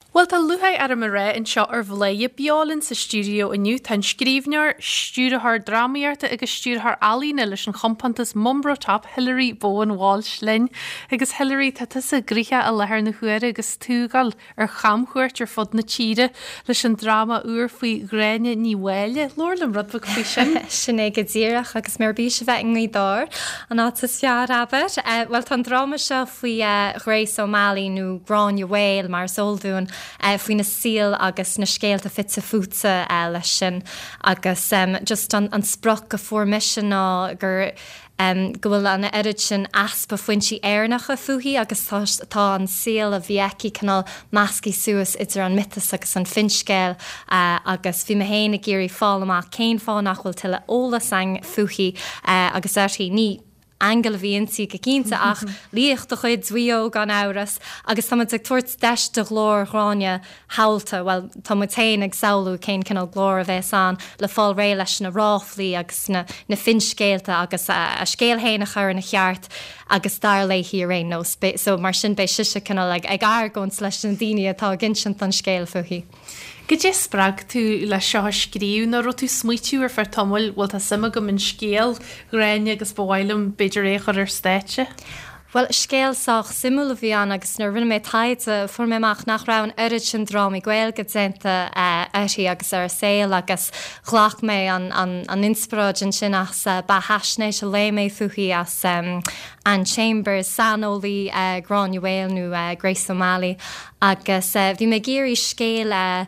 Bhuel, tá lúcháir orm a rá anseo ar Bhladhaire Beo linn sa stiúideo inniu tá an scríbhneoir, stiúrthóir drámaíochta agus stiúrthóir ealaíne leis an chompántas Mumbro Top, Hilary Bowen Walsh linn. Agus Hilary, tá tusa gnoitheach i láthair na huaire agus tú ag dul ar chamchuairt ar fud na tíre leis an dráma úr faoi Ghráinne Ní Mháille. Labhair liom rud beag faoi sin. Sin é go díreach agus mé ar bís a bheith i nGaoth Dobhair, an áit is fearr, abair. Bhuel, tá an dráma seo faoi Grace O'Malley nó Gráinne Mhaol mar is eol dúinn, faoina saol agus na scéalta fite fuaite leis sin agus just an sprioc a fuair mise ná gur go bhfuil an oiread sin easpa foinsí Éireannacha fúithi agus tá tá an saol a bhí aici cineál measctha suas idir an miotas agus an finscéal agus bhí mé féin ag iarraidh fáil amach cén fáth nach bhfuil tuilleadh eolas againn fúithi agus uirthi. Ní Aingeal a bhí inti go cinnte ach laoch de chuid Mhaigh Eo gan amhras agus tá muid ag tabhairt deis do ghlór Ghráinne shamhalta, bhuel tá muid féin ag samhlú cén cineál glór a bheas ann le fáil réidh leis na ráflaí agus na na finscéalta agus a scéal féin a chur ina cheart agus dar léi ar aon nós. So mar sin beidh sise cineál ag ag argóint leis na daoine atá ag insint an scéil fúithi. Goidé spreag tú le seo a scríobh? Nó raibh tú ag smaoitiú ar feadh tamaill, bhuel tá suim agam in scéal Ghráinne agus ba mhaith liom b'fhéidir é a chur ar stáitse? Bhuel, scéal sách suimiúil a bhí ann agus nuair a rinne mé taighde fuair mé amach nach raibh an oiread sin drámaí Gaeilge déanta uirthi agus ar a saol agus ghlac mé an inspioráid ansin as beathaisnéis a léigh mé fúithi as Anne Chambers, saineolaí Gráinne Mhaol nó Grace O'Malley Agus bhí mé ag iarraidh scéal a,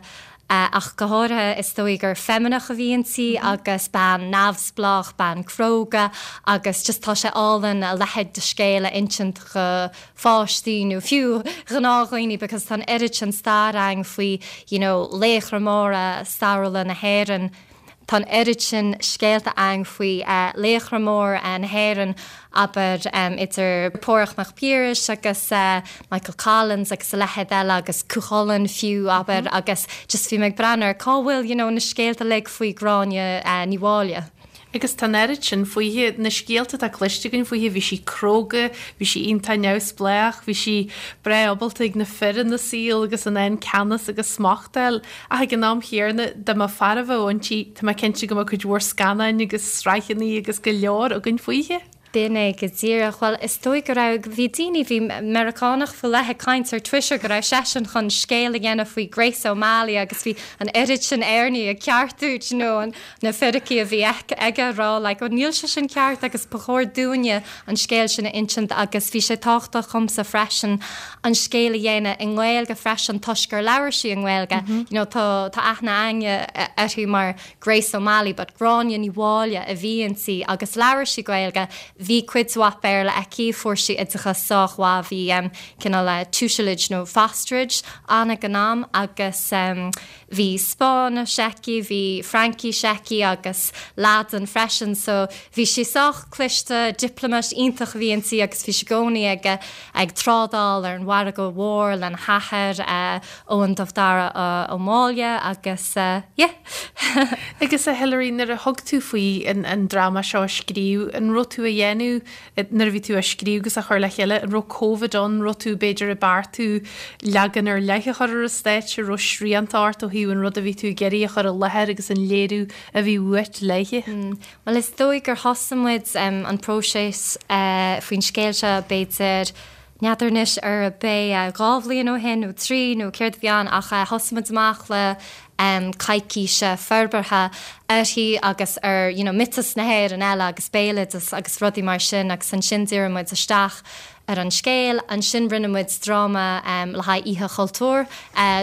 ach go háirithe, is dóigh gur feimineach a bhí inti agus bean neamhspleách, bean cróga agus just tá sé álainn a leithéid de scéal a insint do pháistí nó fiú gnáthdhaoine because tá an oiread sin stair againn faoi you know laochra móra stairiúla na hÉireann. Tá an oiread sin scéalta againn faoi laochra móra na hÉireann, abair, idir Páraic Mac Piarais agus Michael Collins agus a leithéid eile agus Cú Chulainn fiú, abair, agus just bhí mé ag breathnú ar cá bhfuil, you know, na scéalta uilig faoi Gráinne Ní Mháille. Agus tá an oiread sin fúithi, na scéalta atá cloiste againn fúithi, bhí sí cróga, bhí sí iontach neamhspleách, bhí sí breá ábalta ag na fir ina saol agus in ann ceannas agus smacht a fháil. Ach ag an am chéanna, dá mba fear a bheadh inti, tá mé cinnte go mbeadh cuid mhór scannáin agus sraitheanna agus go leor againn fúithi. B'in é go díreach. Bhuel, is dóigh go raibh, bhí daoine, bhí Meiriceánach faoi leith ag caint ar Twitter go raibh seisean chun scéal a dhéanamh faoi Grace O'Malley agus bhí an oiread sin Éireannaigh ag ceartú, do you know, an, na fíricí a bhí aige ag rá like, oh níl sé sin ceart agus ba chóir dúinne an scéal sin a insint agus bhí sé tábhachtach dhomsa freisin an scéal a dhéanamh i nGaeilge freisin toisc gur labhair sí i nGaeilge. You know, tá, tá aithne againne uirthi mar Grace O'Malley but Gráinne Ní Mháille a bhí inti agus labhair sí Gaeilge. Bhí cuid mhaith Béarla aici, fuair sí oideachas sách mhaith, bhí em, cineál eh, tutelage nó fosterage ann ag an am agus em, Bhí Spáinnis aici, bhí Fraincis aici agus Laidin freisin so bhí sí sách cliste, diplomat iontach a bhí inti agus bhí sí i gcónaí ag ag trádáil ar an mhargadh mhór lena hathair, Eoghan Dubh Dara Ó Máille agus yeah. Agus a Hilary, nuair a thug tú faoi an dráma seo a scríobh, an raibh tú a dhéanamh Nuair a bhí tú á scríobh agus á chur le chéile, an raibh Covid ann, an raibh tú b'fhéidir ag beartú leagan ar leith a chur ar an stáitse, an raibh srianta ort ó thaobh an rud a bhí tú ag iarraidh a chur i láthair agus an léiriú a bhí uait léithe? Bhuel is dóigh gur thosaigh muid an próiseas faoin scéal seo b'fhéidir, n'fheadar anois arb é 2 bhliain ó shin nó 3 nó céard a bhí ann ach thosaigh muid amach le coicís forbartha uirthi agus ar you know miotais na hÉireann eile agus béaloideas agus rudaí mar sin agus ansin dhírigh muid isteach ar an scéal. Ansin rinne muid dráma le haghaidh Oíche Chultúir,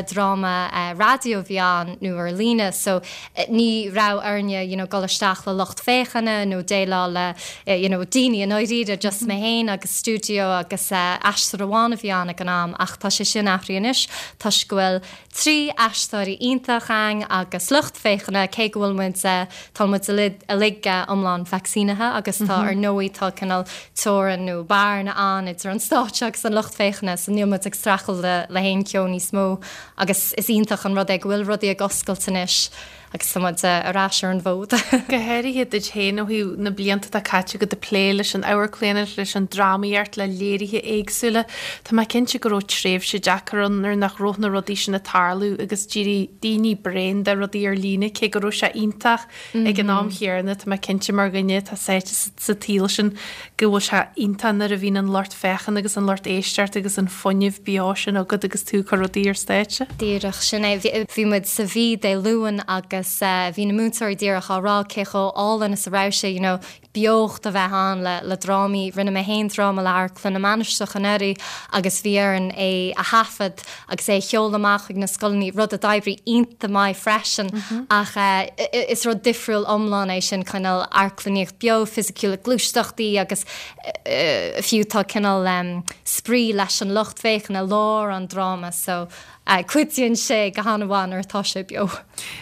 dráma raidió a bhí ann nó ar líne so ní raibh orainne you know dul isteach le lucht féachana nó déileáil le you know daoine i ndáiríre just mé féin agus stiúideo agus aisteoir amháin a bhí ann ag an am ach tá sé sin athraithe anois toisc go bhfuil 3 aisteoirí iontach againn agus lucht féachana, cé go bhfuil muid, tá muid uilig iomlán vacsaínithe agus tá, ar ndóigh, tá cineál teorainn nó bearna ann idir an stáitse agus an lucht féachana so níl muid ag streachailt le haon cheo níos mó agus is iontach an rud é go bhfuil rudaí ag oscailt anois. Agus tá muid ar ais ar an bhfód. Go háirithe duit féin ó thaobh na blianta atá caite agat ag plé leis an amharclannaíocht, leis an drámaíocht, le léirithe éagsúla. Tá mé cinnte go raibh tréimhse deacair ann nuair nach raibh na rudaí sin ag tarlú agus d'éirigh daoine bréan de rudaí ar líne, cé go raibh sé iontach ag an am chéanna. Tá mé cinnte mar dhuine atá sáite sa tsaol sin go bhfuil sé iontach nuair a bhíonn an lucht féachana agus an lucht éisteachta agus an fuinneamh beo sin agat agus tú ag cur rudaí ar stáitse. Díreach, sin é. Bhí muid sa Mhí Dé Luain agus bhí na múinteoirí díreach á rá cé chomh álainn is a raibh sé, you know, beocht a bheith ann le le drámaí. Rinne mé féin dráma le Amharclann na Mainistreach anuraidh agus bhí orainn é a thaifead agus é a sheoladh amach chuig na scoileanna, rud a d'oibrigh iontach maith freisin ach is rud difriúil iomlán é sin, cineál amharclannaíocht beo, fisiciúil, gluaisteachtaí agus fiú tá cineál spraoi leis an lucht féachana i lár an dráma so cuidíonn sé go han-mhaith nuair atá sé beo.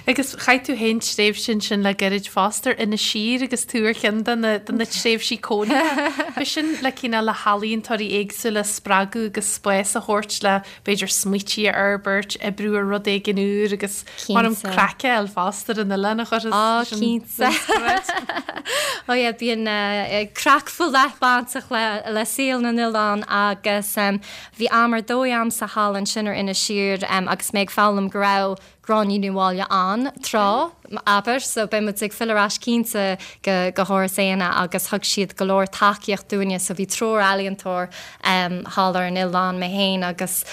Agus chaith tú féin tréimhse ansin le gairid fosta ar Inis Oírr agus tú ar cheann de na de na tréimhsí cónaithe. B'shin le cineál le healaíontóirí éagsúla a spreagadh agus spás a thabhairt le b'fhéidir smaoití a fhorbairt, oibriú ar rud éigin úr agus mar an craic a fháil fosta ar an oileán a chuirfeas Á, cinnte. Ó yeah, bíonn craic faoi leith bainteach le saol na n-oileán agus bhí am ar dóigh a'msa thall ansin ar Inis Oírr agus mé ag foghlaim go raibh Gráinne Ní Mháille ann tráth, abair, so beidh muid ag filleadh ar ais cinnte go go hÁras Éanna agus thug siad go leor tacaíocht dúinne so bhí triúr ealaíontóir thall ar an oileán, mé féin agus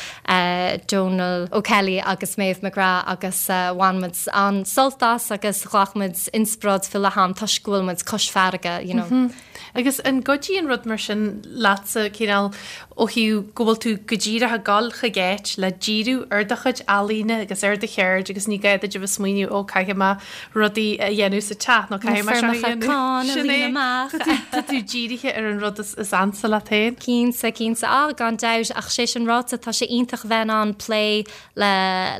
Donal O'Kelly agus Maeve McGrath agus bhain muid an-sult as agus ghlac muid inspioráid faoi leith ann toisc go bhfuil muid cois farraige, you know. Agus an gcuidíonn rud mar sin leatsa, cineál, ó thaobh go bhfuil tú go díreach ag dul chuig áit le díriú ar do chuid ealaíne agus ar do cheird agus ní gá duit a bheith ag smaoineamh 'ó caithfidh mé rudaí a dhéanamh sa teach nó caithfidh mé seo a dhéanamh'. Sin é. Tá tú dírithe ar an rud is ansa leat féin. Cinnte, cinnte. Á, gan dabht, ach sé sin ráite, tá sé iontach a bheith in ann plé le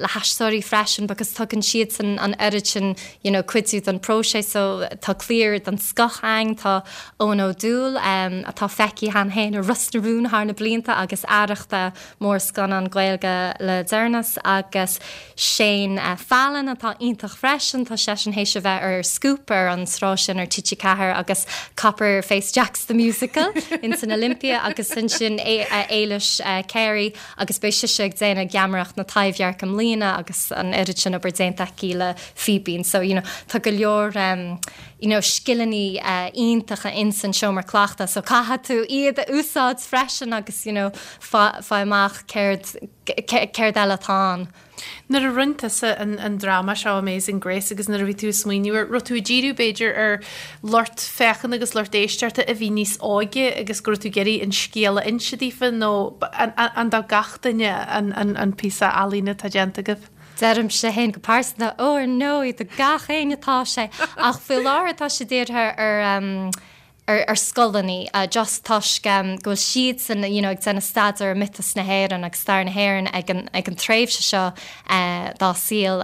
le haisteoirí freisin because tugann siadsan an oiread sin you know cuidiú don próiseas so tá cliar den scoth againn, tá Eoin Ó Dúill atá feicthe cheana féin i Ros na Rún thar na blianta agus Arrachta mórscannán Gaeilge le deireanas agus Shane Fallon atá iontach freisin, tá seisean théis a bheith ar Scúp ar an sraith sin ar TG4 agus Copper Face Jacks the Musical ins an Olympia agus ansin Éilis Carey agus beidh sise ag déanamh Geamaireacht na Taibhdheirce i mbliana agus an oiread sin obair déanta aici le Fíbín so you know tá go leor you know scileanna iontacha ins an seomra cleachta so caithfidh tú iad a úsáid freisin agus you know faigh amach céard céard eile atá ann. Nuair a rinne tusa an dráma seo Amazing Grace agus nuair a bhí tú ag smaoineamh air, raibh tú ag díriú b'fhéidir ar lucht féachana agus lucht éisteachta a bhí níos óige agus go raibh tú ag iarraidh an scéal a inse daofa nó an do gach duine an píosa ealaíne atá déanta agaibh? Deirimse féin go pearsanta, ó ar ndóigh, do gach éinne atá sé ach faoi láthair tá sé dírithe ar ar scoileanna just toisc go bhfuil siadsan you know ag déanamh staidéar ar miotas na hÉireann agus stair na hÉireann ag an ag an tréimhse seo dá saol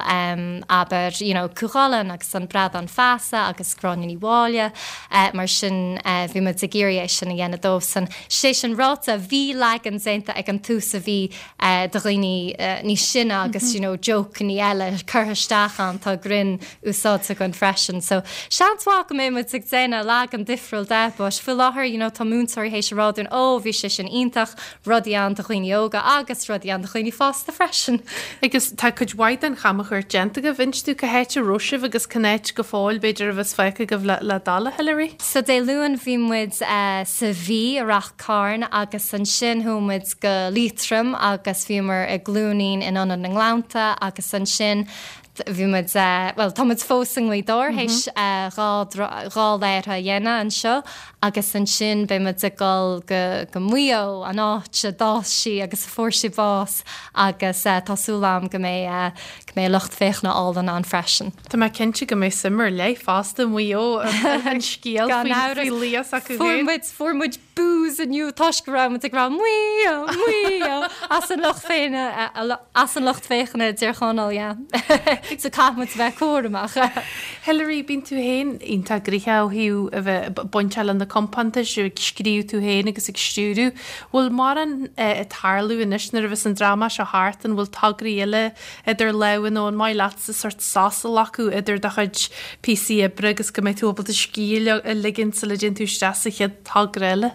abair you know Cú Chulainn agus an Bradán Feasa agus Gráinne Ní Mháille mar sin bhí muid ag iarraidh é sin a dhéanamh dóibhsan. Sé sin ráite bhí leagan déanta ag an tús a bhí do dhaoine níos sine agus you know jokeanna eile curtha isteach ann tá greann úsáidte againn freisin. So seans mhaith go mbeidh muid ag déanamh leagan difriúil de but faoi láthair you know tá múinteoirí théis a rá dúinn ó bhí sé sin iontach, rudaí ann do dhaoine óga agus rudaí ann do dhaoine fásta freisin. Agus tá cuid mhaith den chamchuairt déanta agaibh, inis dúinn cá háit a raibh sibh agus cén áit go fóill b'fhéidir a bheas fágtha agaibh le le dul, a Hilary? So Dé Luain bhí muid sa Mhí i Rath Cairn agus ansin chuaigh muid go Liatroim agus bhíomar i gCluainín in Ionad na nGleannta agus ansin Bhí muid, bhuel, tá muid fós i nGaoth Dobhair théis 2 léirithe a dhéanamh anseo agus ansin beidh muid ag dul go go Maigh Eo, an áit a d'fhás sí agus a fuair sí bás agus tá súil agam go mbeidh go mbeidh lucht féachana álainn ann freisin. Tá mé cinnte go mbeidh suim ar leith fosta i Maigh Eo an scéal faoi laoch s'acu féin. Fuair muid, fuair muid. boos inniu toisc go raibh muid ag rá Maigh Eo, Maigh Eo as an lucht féachana, as an lucht féachana i dTír Chonaill, yeah. So caithfidh muid a bheith cúramach. Hilary, bíonn tú féin iontach gnoitheach ó thaobh a bheith bainteach le na compántais, ag scríobh tú féin agus ag stiúradh. Bhfuil mórán ag tarlú anois nuair a bheas an dráma seo thart, an bhfuil tograí eile idir lámha nó an maith leatsa sórt sos a ghlacadh idir do chuid píosaí oibre agus go mbeidh tú ábalta scíth a ligean sula dtéann tú isteach sa chéad togra eile?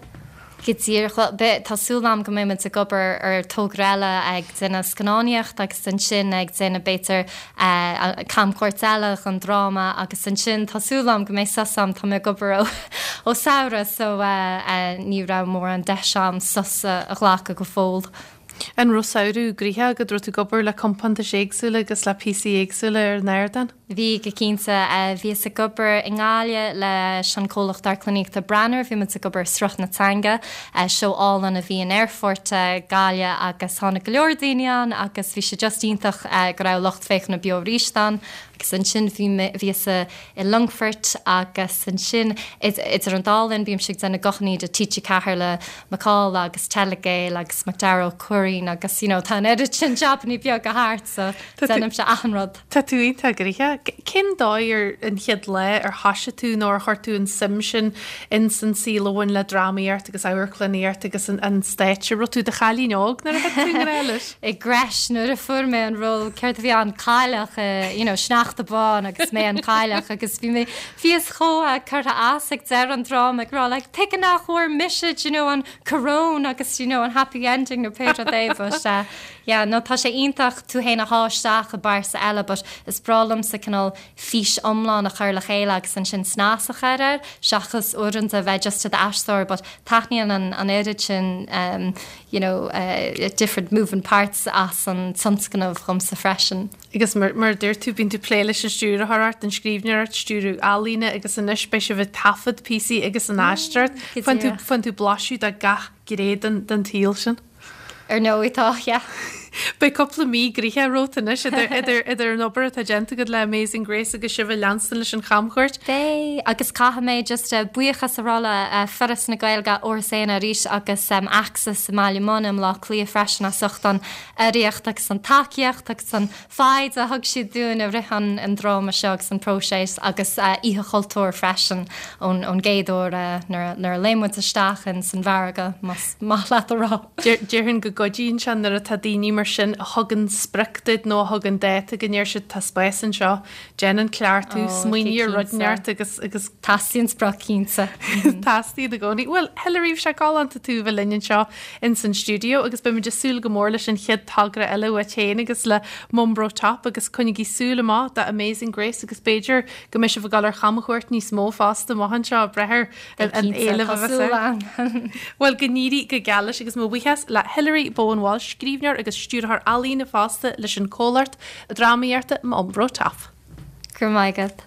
Go díreach. Bhuel, beidh, tá súil agam go mbeidh muid ag obair ar togra eile, ag déanamh scannánaíocht agus ansin ag déanamh b'fhéidir camchuairt eile don dráma agus ansin tá súil agam go mbeidh sos agam, tá mé ag obair ó ó samhradh so ní raibh mórán deis agam sos a ghlacadh go fóill. An raibh samhradh gnoitheach agat? Raibh tú ag obair le compántais éagsúla agus le píosaí éagsúla ar an ardán? Bhí, go cinnte. Bhíos ag obair i nGaillimh leis an comhlacht amharclannaíochta Branar. Bhí muid ag obair ar Sruth na Teanga, seó álainn a bhí in Aerfort Gaillimh agus tháinig go leor daoine ann agus bhí sé just iontach go raibh lucht féachana beo arís ann. Agus ansin bhí mé, bhíos i Longfort agus ansin idir an dá linn bímse ag déanamh guthannaí do TG4 le Macalla agus Telegael agus Macdara Ó Curraoin agus you know tá an oiread sin jabannaí beaga thart so déanaimse achan rud. Tá tú iontach gnoitheach. Cén dóigh ar an chéad lá ar thoisigh tú nó ar chuir tú an suim sin ins an saol a bhain le drámaíocht agus amharclannaíocht agus an stáitse? Raibh tú i do chailín óg nuair a thit tú i ngrá leis? I gcreis nuair a fuair mé an ról, céard a bhí ann, cailleach, you know, sneachta bán agus mé an cailleach agus bhí mé, bhíos chomh curtha as ag deireadh an dráma ag rá like tuige nach bhfuair mise do you know an coróin agus you know an happy ending nó pé rud é but uh, yeah no tá sé iontach tú féin a shá isteach i bpearsa eile but is breá liomsa cineál fís iomlán a chur le chéile agus ansin snas a chur air seachas uaireanta a bheith just i d'aisteoir but taitníonn an an oiread sin um, you know uh, different moving parts as an tionscnamh dhomsa freisin. Agus mar a dúirt tú, bíonn tú ag plé leis an stiúrthóireacht, an scríbhneoireacht, stiúradh ealaíne agus anois beidh sibh ag taifead píosaí agus an aisteoireacht. Faigheann tú, faigheann tú blaiseadh de gach gné den, den tsaol sin. Ar ndóigh tá, yeah. Beidh cúpla mí gnoitheach romhat anois idir, idir, idir an obair atá déanta agat le Amazing Grace agus sibh ag leanstan leis an chamchuairt. Beidh, agus caithfidh mé just buíochas a rá le Foras na Gaeilge, Áras Éanna arís agus Axis i mBaile Munna i mBleá Cliath freisin as ucht an urraíocht agus an tacaíocht agus an foighid a thug siad dúinn i rith an dráma seo agus an próiseas agus Oíche Chultúir freisin ón gcéad uair nuair a léim muid isteach in san mhargadh, más maith leat a rá. Déarfainn go gcuidíonn sé nuair atá daoine mar sin a thugann sprioc duit nó a thugann dáta go ndeir siad tá spás anseo Déan an cleachtadh, smaoinigh ar rud inteacht agus, agus. Teastaíonn sprioc cinnte. Teastaíonn i gcónaí. Bhuel, Hilary, bhí sé galánta tú a bheith linn anseo ins an stiúideo agus beimid ag súil go mór leis an chéad togra eile uait féin agus le Mumbro Top agus coinnigí súil amach do Amazing Grace agus b'fhéidir go mbeidh sibh ag dul ar chamchuairt níos mó fosta amach anseo ag brath ar an éileamh a bheas air. Bhuel, go n-éirí go geal leis agus mo bhuíochas le Hilary Bowen Walsh, scríbhneoir agus stiúrthóir ealaíne fosta leis an comhlacht drámaíochta Mumbro Top. Go raibh maith agat.